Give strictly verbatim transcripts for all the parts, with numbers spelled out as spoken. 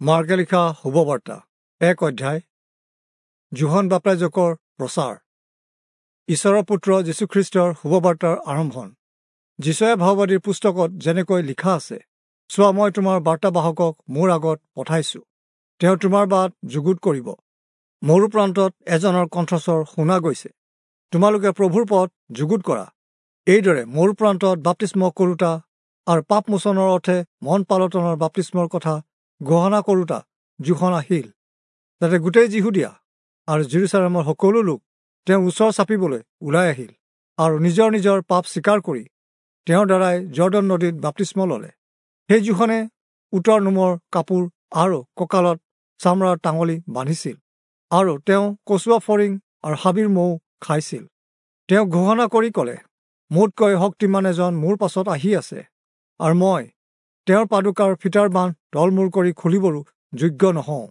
মাৰ্কে লিখা শুভবাৰ্তা এক অধ্যায়। যোহন বাপ্তাইজকৰ প্ৰচাৰ। ঈশ্বৰৰ পুত্ৰ যীশুখ্ৰীষ্টৰ শুভবাৰ্তাৰ আৰম্ভণ। যিচয়া ভাওবাদীৰ পুস্তকত যেনেকৈ লিখা আছে, চোৱা, মই তোমাৰ বাৰ্তাবাহকক মোৰ আগত পঠাইছো, তেওঁ তোমাৰ বাট যুগুত কৰিব। মৰু প্ৰান্তত এজনৰ কণ্ঠস্বৰ শুনা গৈছে, তোমালোকে প্ৰভুৰ পথ যুগুত কৰা। এইদৰে মৰু প্ৰান্তত বাপ্তিস্ম কৰোতা আৰু পাপ মোচনৰ অৰ্থে মন পালটনৰ বাপ্তিস্মৰ কথা ঘোষণা কৰোতা যোহন আহিল। তাতে গোটেই যিহুদীয়া আৰু জেৰুচালেমৰ সকলো লোক তেওঁৰ ওচৰ চাপিবলৈ ওলাই আহিল আৰু নিজৰ নিজৰ পাপ স্বীকাৰ কৰি তেওঁৰ দ্বাৰাই জৰ্দন নদীত বাপ্তিস্ম ল'লে। সেই যোহনে উটৰ নোমৰ কাপোৰ আৰু কঁকালত চামৰাৰ টাঙলি বান্ধিছিল আৰু তেওঁ কচুৱা ফৰিং আৰু হাবিৰ মৌ খাইছিল। তেওঁ ঘোষণা কৰি ক'লে, মোতকৈ শক্তিমান এজন মোৰ পাছত আহি আছে আৰু মই তেওঁৰ পাদুকাৰ ফিটাৰ বান্ধ তলমূৰ কৰি খুলিবৰো যোগ্য নহওঁ।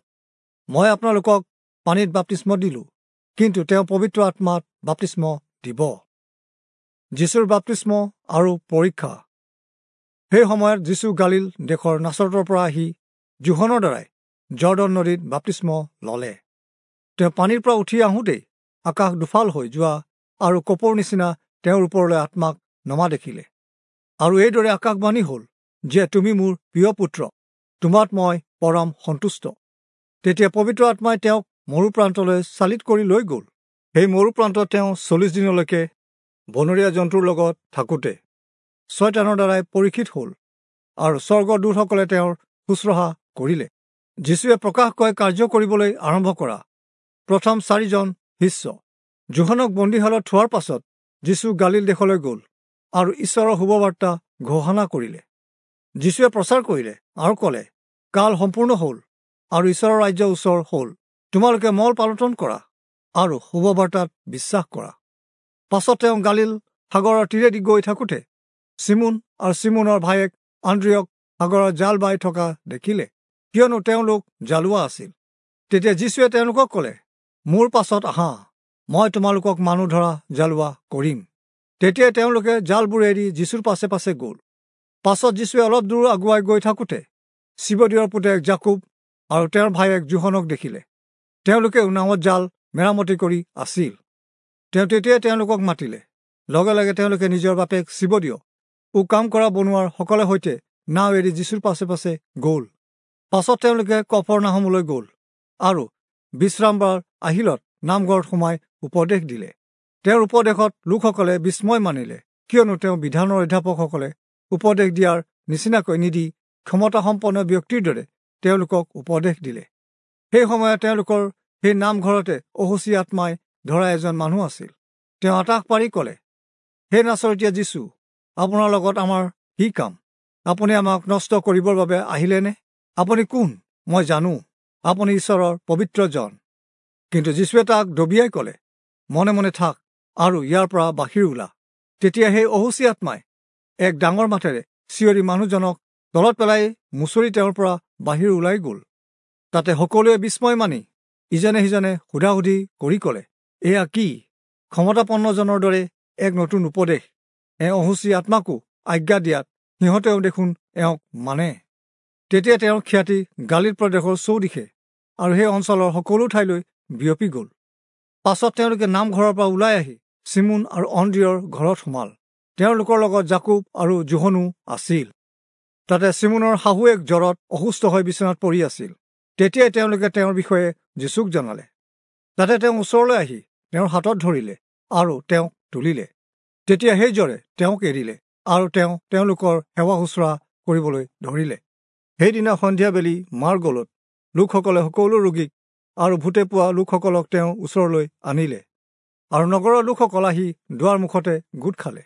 মই আপোনালোকক পানীত বাপ্তিস্ম দিলোঁ, কিন্তু তেওঁ পবিত্ৰ আত্মাত বাপ্তিস্ম দিব। যীশুৰ বাপ্তিস্ম আৰু পৰীক্ষা। সেই সময়ত যীশু গালিল দেশৰ নাচৰতৰ পৰা আহি যোহনৰ দ্বাৰাই জৰ্দন নদীত বাপ্তিস্ম ল'লে। তেওঁ পানীৰ পৰা উঠি আহোঁতেই আকাশ দুফাল হৈ যোৱা আৰু কপৌৰ নিচিনা তেওঁৰ ওপৰলৈ আত্মাক নমা দেখিলে। আৰু এইদৰে আকাশবাণী হ'ল যে, তুমি মোৰ প্ৰিয় পুত্ৰ, তোমাত মই পৰম সন্তুষ্ট। তেতিয়া পবিত্ৰ আত্মাই তেওঁক মৰু প্ৰান্তলৈ চালিত কৰি লৈ গ'ল। সেই মৰু প্ৰান্তত তেওঁ চল্লিছ দিনলৈকে বনৰীয়া জন্তুৰ লগত থাকোঁতে ছয়তানৰ দ্বাৰাই পৰীক্ষিত হ'ল আৰু স্বৰ্গদূতসকলে তেওঁৰ শুশ্ৰূষা কৰিলে। যীশুৱে প্ৰকাশকৈ কাৰ্য কৰিবলৈ আৰম্ভ কৰা প্ৰথম চাৰিজন শিষ্য। যোহনক বন্দীশালত থোৱাৰ পাছত যীশু গালিল দেশলৈ গ'ল আৰু ঈশ্বৰৰ শুভবাৰ্তা ঘোষণা কৰিলে। যীশুৱে প্ৰচাৰ কৰিলে আৰু ক'লে, কাল সম্পূৰ্ণ হ'ল আৰু ঈশ্বৰৰ ৰাজ্য ওচৰ হ'ল। তোমালোকে মল পালটন কৰা আৰু শুভবাৰ্তাত বিশ্বাস কৰা। পাছত তেওঁ গালিল সাগৰৰ তীৰেদি গৈ থাকোঁতে চিমোন আৰু চিমোনৰ ভায়েক আন্দ্ৰিয়ক সাগৰৰ জাল বাই থকা দেখিলে, কিয়নো তেওঁলোক জালোৱা আছিল। তেতিয়া যীশুৱে তেওঁলোকক ক'লে, মোৰ পাছত আহা, মই তোমালোকক মানুহ ধৰা জালোৱা কৰিম। তেতিয়াই তেওঁলোকে জালবোৰ এৰি যীশুৰ পাছে পাছে গ'ল। পাছত যীশুৱে অলপ দূৰ আগুৱাই গৈ থাকোঁতে চিবদিয়ৰ পুতেক জাকুব আৰু তেওঁৰ ভায়েক যোহনক দেখিলে। তেওঁলোকেও নাৱত জাল মেৰামতি কৰি আছিল। তেওঁ তেতিয়াই তেওঁলোকক মাতিলে। লগে লগে তেওঁলোকে নিজৰ বাপেক চিবদিয় ও কাম কৰা বনোৱাৰ সকলে সৈতে নাও এৰি যীশুৰ পাছে পাছে গ'ল। পাছত তেওঁলোকে কফৰনাহমলৈ গ'ল আৰু বিশ্ৰামবাৰ আহিলত নামঘৰত সোমাই উপদেশ দিলে। তেওঁৰ উপদেশত লোকসকলে বিস্ময় মানিলে, কিয়নো তেওঁ বিধানৰ অধ্যাপকসকলে উপদেশ দিয়াৰ নিচিনাকৈ নিদি ক্ষমতাসম্পন্ন ব্যক্তিৰ দৰে তেওঁলোকক উপদেশ দিলে। সেই সময়ত তেওঁলোকৰ সেই নামঘৰতে অশুচি আত্মাই ধৰা এজন মানুহ আছিল। তেওঁ আটাস পাৰি ক'লে, হে নাচৰতীয়া যীশু, আপোনাৰ লগত আমাৰ কি কাম? আপুনি আমাক নষ্ট কৰিবৰ বাবে আহিলেনে? আপুনি কোন মই জানো, আপুনি ঈশ্বৰৰ পবিত্ৰজন। কিন্তু যীশুৱে তাক দবিয়াই ক'লে, মনে মনে থাক আৰু ইয়াৰ পৰা বাহিৰ ওলা। তেতিয়া সেই অশুচি আত্মাই এক ডাঙৰ মাতেৰে চিঞৰি মানুহজনক তলত পেলাই মুচৰি তেওঁৰ পৰা বাহিৰ ওলাই গ'ল। তাতে সকলোৱে বিস্ময় মানি ইজনে সিজনে সোধা সুধি কৰি ক'লে, এয়া কি? ক্ষমতাপন্নজনৰ দৰে এক নতুন উপদেশ। এওঁ অশুচি আত্মাকো আজ্ঞা দিয়াত সিহঁতেও দেখোন এওঁক মানে। তেতিয়া তেওঁৰ খ্যাতি গালিল প্ৰদেশৰ চৌদিশে আৰু সেই অঞ্চলৰ সকলো ঠাইলৈ বিয়পি গ'ল। পাছত তেওঁলোকে নামঘৰৰ পৰা ওলাই আহি চিমোন আৰু অন্দ্ৰিয়ৰ ঘৰত সোমাল। তেওঁলোকৰ লগত জাকুব আৰু যোহনো আছিল। তাতে চিমোনৰ শাহুৱেক জ্বৰত অসুস্থ হৈ বিচনাত পৰি আছিল। তেতিয়াই তেওঁলোকে তেওঁৰ বিষয়ে যীশুক জনালে। তাতে তেওঁ ওচৰলৈ আহি তেওঁৰ হাতত ধৰিলে আৰু তেওঁক তুলিলে। তেতিয়া সেই জ্বৰে তেওঁক এৰিলে আৰু তেওঁ তেওঁলোকৰ সেৱা শুশ্ৰূষা কৰিবলৈ ধৰিলে। সেইদিনা সন্ধিয়া বেলি মাৰ গলত লোকসকলে সকলো ৰোগীক আৰু ভূতে পোৱা লোকসকলক তেওঁৰ ওচৰলৈ আনিলে আৰু নগৰৰ লোকসকল আহি দুৱাৰ মুখতে গোট খালে।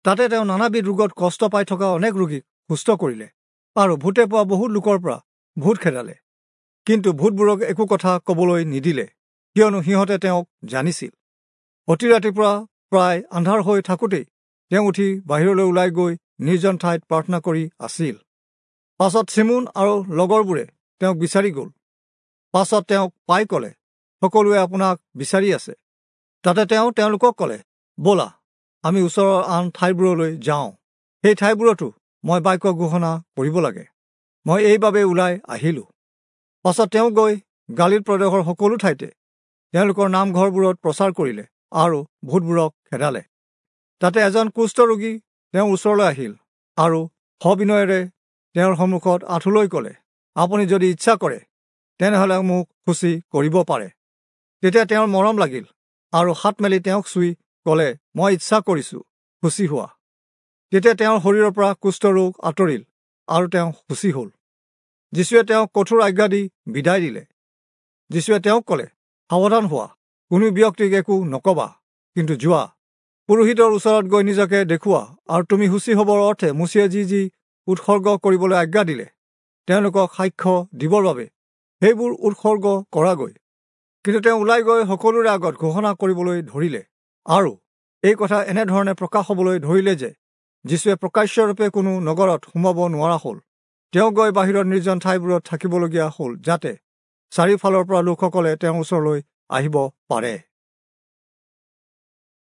তাতে তেওঁ নানাবিধ ৰোগত কষ্ট পাই থকা অনেক ৰোগীক সুস্থ কৰিলে আৰু ভূতে পোৱা বহুত লোকৰ পৰা ভূত খেদালে। কিন্তু ভূতবোৰক একো কথা ক'বলৈ নিদিলে, কিয়নো সিহঁতে তেওঁক জানিছিল। অতি ৰাতিপুৱা প্ৰায় আন্ধাৰ হৈ থাকোঁতেই তেওঁ উঠি বাহিৰলৈ ওলাই গৈ নিৰ্জন ঠাইত প্ৰাৰ্থনা কৰি আছিল। পাছত চিমোন আৰু লগৰবোৰে তেওঁক বিচাৰি গ'ল। পাছত তেওঁক পাই ক'লে, সকলোৱে আপোনাক বিচাৰি আছে। তাতে তেওঁ তেওঁলোকক ক'লে, ব'লা আমি ওচৰৰ আন ঠাইবোৰলৈ যাওঁ, সেই ঠাইবোৰতো মই বাক্য ঘোষণা কৰিব লাগে। মই এইবাবে ওলাই আহিলোঁ। পাছত তেওঁ গৈ গালিল প্ৰদেশৰ সকলো ঠাইতে তেওঁলোকৰ নামঘৰবোৰত প্ৰচাৰ কৰিলে আৰু ভূতবোৰক খেদালে। তাতে এজন কুষ্ঠ ৰোগী তেওঁৰ ওচৰলৈ আহিল আৰু সবিনয়েৰে তেওঁৰ সন্মুখত আঁঠুলৈ ক'লে, আপুনি যদি ইচ্ছা কৰে তেনেহ'লে মোক শুচি কৰিব পাৰে। তেতিয়া তেওঁৰ মৰম লাগিল আৰু হাত মেলি তেওঁক চুই ক'লে, মই ইচ্ছা কৰিছোঁ, শুচি হোৱা। তেতিয়া তেওঁৰ শৰীৰৰ পৰা কুষ্ঠৰোগ আঁতৰিল আৰু তেওঁ শুচি হ'ল। যীশুৱে তেওঁক কঠোৰ আজ্ঞা দি বিদায় দিলে। যীশুৱে তেওঁক ক'লে, সাৱধান হোৱা, কোনো ব্যক্তিক একো নকবা, কিন্তু যোৱা, পুৰোহিতৰ ওচৰত গৈ নিজকে দেখুওৱা আৰু তুমি শুচি হ'বৰ অৰ্থে মোচিয়ে যি যি উৎসৰ্গ কৰিবলৈ আজ্ঞা দিলে তেওঁলোকক সাক্ষ্য দিবৰ বাবে সেইবোৰ উৎসৰ্গ কৰাগৈ। কিন্তু তেওঁ ওলাই গৈ সকলোৰে আগত ঘোষণা কৰিবলৈ ধৰিলে আৰু এই কথা এনেধৰণে প্ৰকাশ হ'বলৈ ধৰিলে যে যীশুৱে প্ৰকাশ্যৰূপে কোনো নগৰত সোমাব নোৱাৰা হ'ল। তেওঁ গৈ বাহিৰত নিৰ্জন ঠাইবোৰত থাকিবলগীয়া হ'ল, যাতে চাৰিওফালৰ পৰা লোকসকলে তেওঁৰ ওচৰলৈ আহিব পাৰে।